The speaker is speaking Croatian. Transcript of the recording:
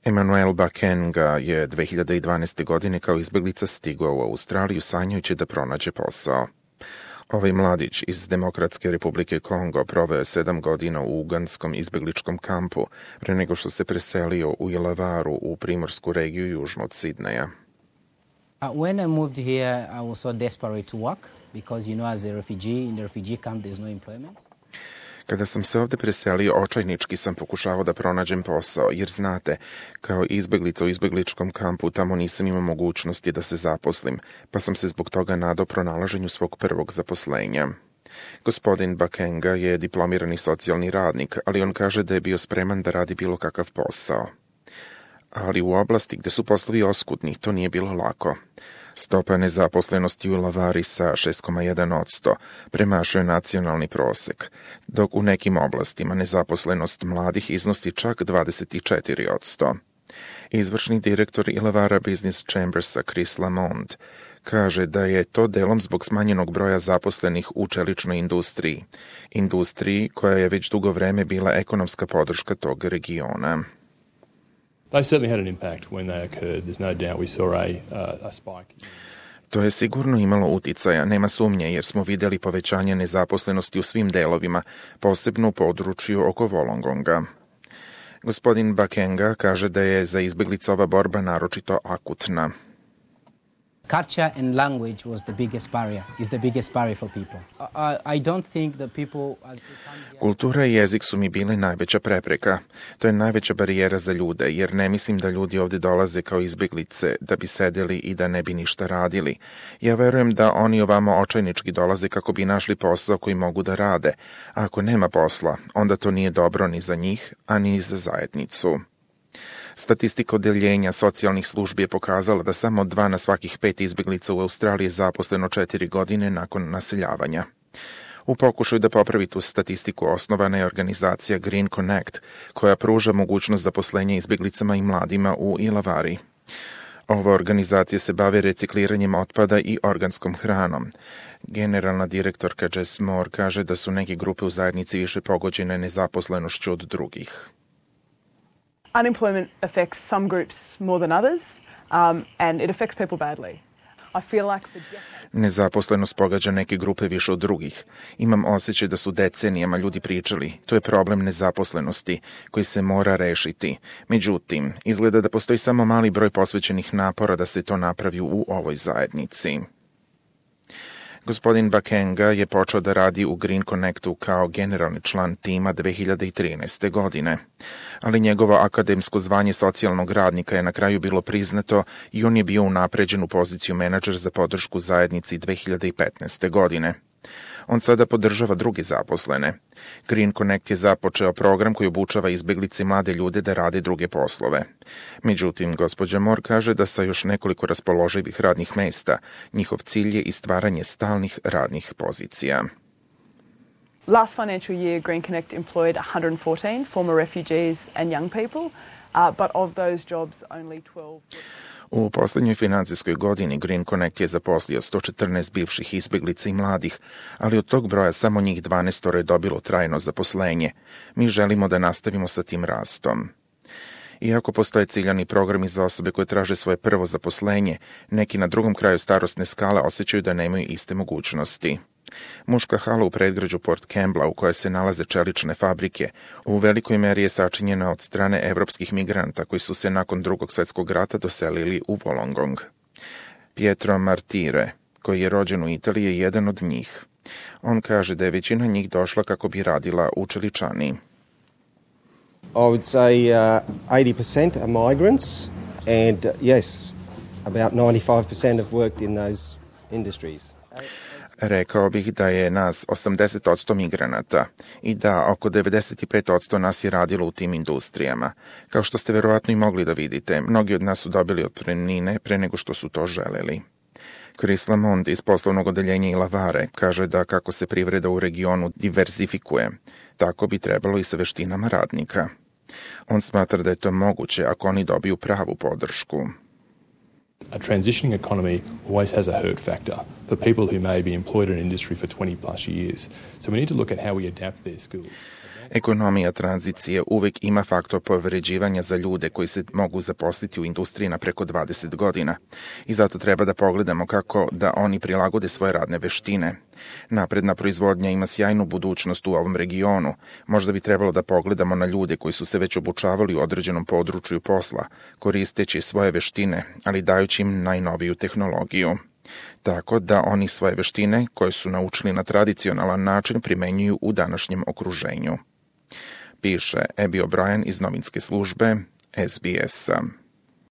Emmanuel Bakenga je 2012. godine kao izbjeglica stigao u Australiju sanjajući da pronađe posao. Ovaj mladić iz Demokratske republike Kongo proveo je 7 godina u ugandskom izbjegličkom kampu pre nego što se preselio u Ilavaru u primorsku regiju južno od Sidneja. When I moved here, I was so desperate to work because, as a refugee, in the refugee camp there's no employment. Kada sam se ovdje preselio, očajnički sam pokušavao da pronađem posao, jer znate, kao izbjeglica u izbjegličkom kampu tamo nisam imao mogućnosti da se zaposlim, pa sam se zbog toga nadao pronalaženju svog prvog zaposlenja. Gospodin Bakenga je diplomirani socijalni radnik, ali on kaže da je bio spreman da radi bilo kakav posao. Ali u oblasti gde su poslovi oskudni, to nije bilo lako. Stopa nezaposlenosti u Ilavari sa 6,1% premašuje nacionalni prosek, dok u nekim oblastima nezaposlenost mladih iznosi čak 24%. Izvršni direktor Ilavara Business Chambersa Chris Lamond kaže da je to delom zbog smanjenog broja zaposlenih u čeličnoj industriji koja je već dugo vreme bila ekonomska podrška tog regiona. They certainly had an impact when they occurred. There's no doubt we saw a spike. To je sigurno imalo uticaja, nema sumnje, jer smo vidjeli povećanje nezaposlenosti u svim delovima, posebno u području oko Wollongonga. Gospodin Bakenga kaže da je za izbjeglice ova borba naročito akutna. Culture and language was the biggest barrier, is the biggest barrier for people. I don't think that people... Kultura i jezik su mi bili najveća prepreka. To je najveća barijera za ljude, jer ne mislim da ljudi ovdje dolaze kao izbjeglice da bi sedeli i da ne bi ništa radili. Ja verujem da oni ovamo očajnički dolaze kako bi našli posao koji mogu da rade. A ako nema posla, onda to nije dobro ni za njih, a ni za zajednicu. Statistika odeljenja socijalnih službi je pokazala da samo 2 na svakih 5 izbjeglica u Australiji je zaposleno 4 godine nakon naseljavanja. U pokušaju da popravi tu statistiku osnovana je organizacija Green Connect, koja pruža mogućnost zaposlenja izbjeglicama i mladima u Ilavari. Ova organizacija se bavi recikliranjem otpada i organskom hranom. Generalna direktorka Jess Moore kaže da su neke grupe u zajednici više pogođene nezaposlenošću od drugih. Unemployment affects some groups more than others, and it affects people badly. I feel like Nezaposlenost pogađa neke grupe više od drugih. Imam osjećaj da su decenijama ljudi pričali, to je problem nezaposlenosti koji se mora rešiti. Međutim, izgleda da postoji samo mali broj posvećenih napora da se to napravi u ovoj zajednici. Gospodin Bakenga je počeo da radi u Green Connectu kao generalni član tima 2013. godine, ali njegovo akademsko zvanje socijalnog radnika je na kraju bilo priznato i on je bio unapređen u poziciju menadžer za podršku zajednici 2015. godine. On sada podržava druge zaposlene. Green Connect je započeo program koji obučava izbjeglice i mlade ljude da rade druge poslove. Međutim, gospođa Moore kaže da sa još nekoliko raspoloživih radnih mesta, njihov cilj je i stvaranje stalnih radnih pozicija. last financial year, Green Connect employed 114 former refugees and young people, but of those jobs only 12... U posljednjoj financijskoj godini Green Connect je zaposlio 114 bivših izbjeglica i mladih, ali od tog broja samo njih 12 je dobilo trajno zaposlenje. Mi želimo da nastavimo sa tim rastom. Iako postoje ciljani programi za osobe koje traže svoje prvo zaposlenje, neki na drugom kraju starosne skale osjećaju da nemaju iste mogućnosti. Muška hala u predgrađu Port Campbella, u kojoj se nalaze čelične fabrike, u velikoj meri je sačinjena od strane evropskih migranta koji su se nakon Drugog svjetskog rata doselili u Wollongong. Pietro Martire, koji je rođen u Italiji, je jedan od njih. On kaže da je većina njih došla kako bi radila u čeličani. I would say 80% are migrants, and yes, about 95% have worked in those industries. Rekao bih da je nas 80% migranata i da oko 95% nas je radilo u tim industrijama. Kao što ste verovatno i mogli da vidite, mnogi od nas su dobili otpremnine pre nego što su to želeli. Chris Lamond iz poslovnog odeljenja Ilavare kaže da kako se privreda u regionu diversifikuje, tako bi trebalo i sa veštinama radnika. On smatra da je to moguće ako oni dobiju pravu podršku. A transitioning economy always has a hurt factor for people who may be employed in an industry for 20 plus years. So we need to look at how we adapt their skills. Ekonomija tranzicije uvek ima faktor povređivanja za ljude koji se mogu zaposliti u industriji na preko 20 godina i zato treba da pogledamo kako da oni prilagode svoje radne veštine. Napredna proizvodnja ima sjajnu budućnost u ovom regionu. Možda bi trebalo da pogledamo na ljude koji su se već obučavali u određenom području posla, koristeći svoje veštine, ali dajući im najnoviju tehnologiju. Tako da oni svoje veštine, koje su naučili na tradicionalan način, primenjuju u današnjem okruženju. Piše Abby O'Brien iz novinske službe SBS-a.